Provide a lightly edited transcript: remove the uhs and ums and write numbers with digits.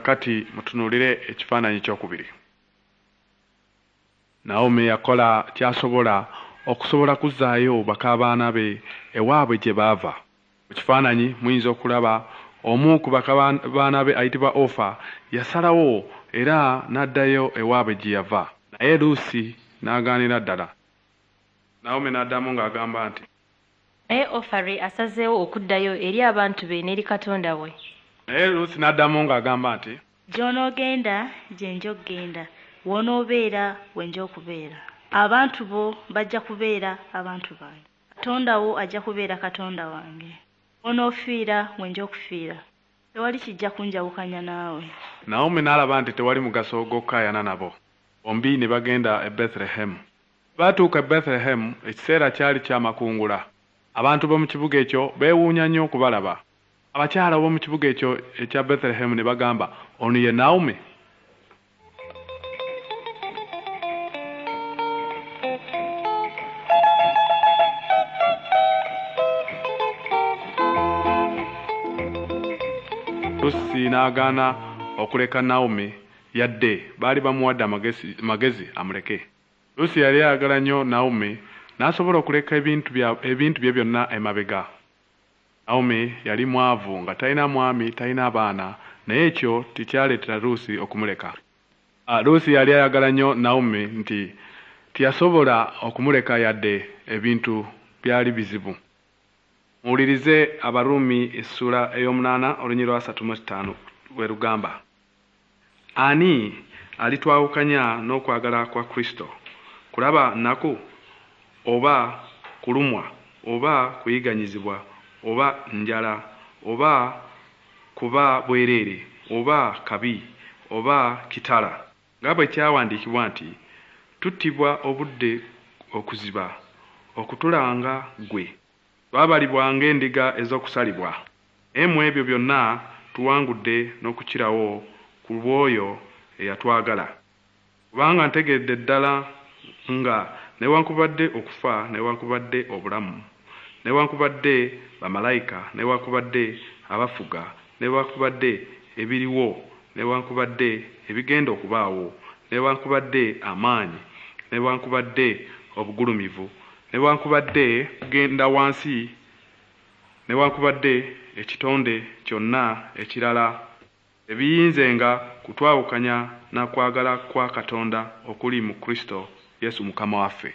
Kakati mutunuulire ekifaananyi kyokubiri. Nawomi yakola ky'asobola okusobola kuzzaayo bak'abaana be ewaabwe gye baava. Mu kifaananyi muyinza okulaba omu ku bak'abaana be ayitibwa Ofa yasalawo era n'addayo ewaabwe gye yava. Naye Luusi n'agaanira ddala. Nawomi n'addamu ng'agamba nti. Naye Ofari asazeewo okuddayo eri abantu be n'eri katonda we. Naye Luusi n'addamu ng'agamba nti. Gy'onoogenda gye nja okugenda, w'onoobeera we nja okubeera. Abantu bo bajja kubeera abantu bange, Katonda wo ajja kubeera Katonda wange. W'onoofiira we nja okufiira. Tewali kijja kunjawukanya naawe. Nawomi n'alaba nti tewali mugaso gw'okukaayana nabo. Bombi ne bagenda e Bethilehemu. Bwe baatuuka e Bethilehemu, ekiseera kyali kya makungula. Abantu b'omu kibuga ekyo beewuunya nnyo okubalaba. Abakyala b'omu kibuga ekyo ekya Bethilehemu ne bagamba, Ono ye Nawomi? Lusi n'agaana okuleka Nawomi yadde baali bamuwadde amagezi amuleke. Lusi yali ayagala nnyo Nawomi n'asobola okuleka ebintu bye byonna emabega. Nawomi yali mwavu nga talina mwami talina baana naye ekyo tekyaleetera Lusi okumuleka. Lusi yali ayagala nnyo Nawomi nti teyasobola okumuleka yadde ebintu byali bizibu. Muwulirize Abaruumi essuula ey'omunaana olunyiriri lwa 35 bwe lugamba. Ani alitwawukanya n'okwagala kwa Kristo? Kulaba nnaku oba kulumwa oba kuyigganyizibwa oba njala oba kuba bwereere oba kabi oba kitala? Nga bwe kyawandiikibwa nti Tuttibwa obudde okuziba, okutulanga ggwe, twabalibwa ng'endiga ez'okusalibwa. Naye mu ebyo byonna tuwangudde n'okukirawo ku lw'oyo eyatwagala. Kubanga ntegeeredde ddala nga newaakubadde okufa newaakubadde obulamu, newaakubadde bamalayika newaakubadde abafuga, newaakubadde ebiriwo newaakubadde ebigenda okubaawo, newaakubadde amaanyi, newaakubadde obugulumivu, newaakubadde okugenda wansi, newaakubadde ekitonde kyonna ekirala, tebiyinzenga kutwawukanya na kwagala kwa Katonda okuli mu Kristo Yesu Mukama waffe.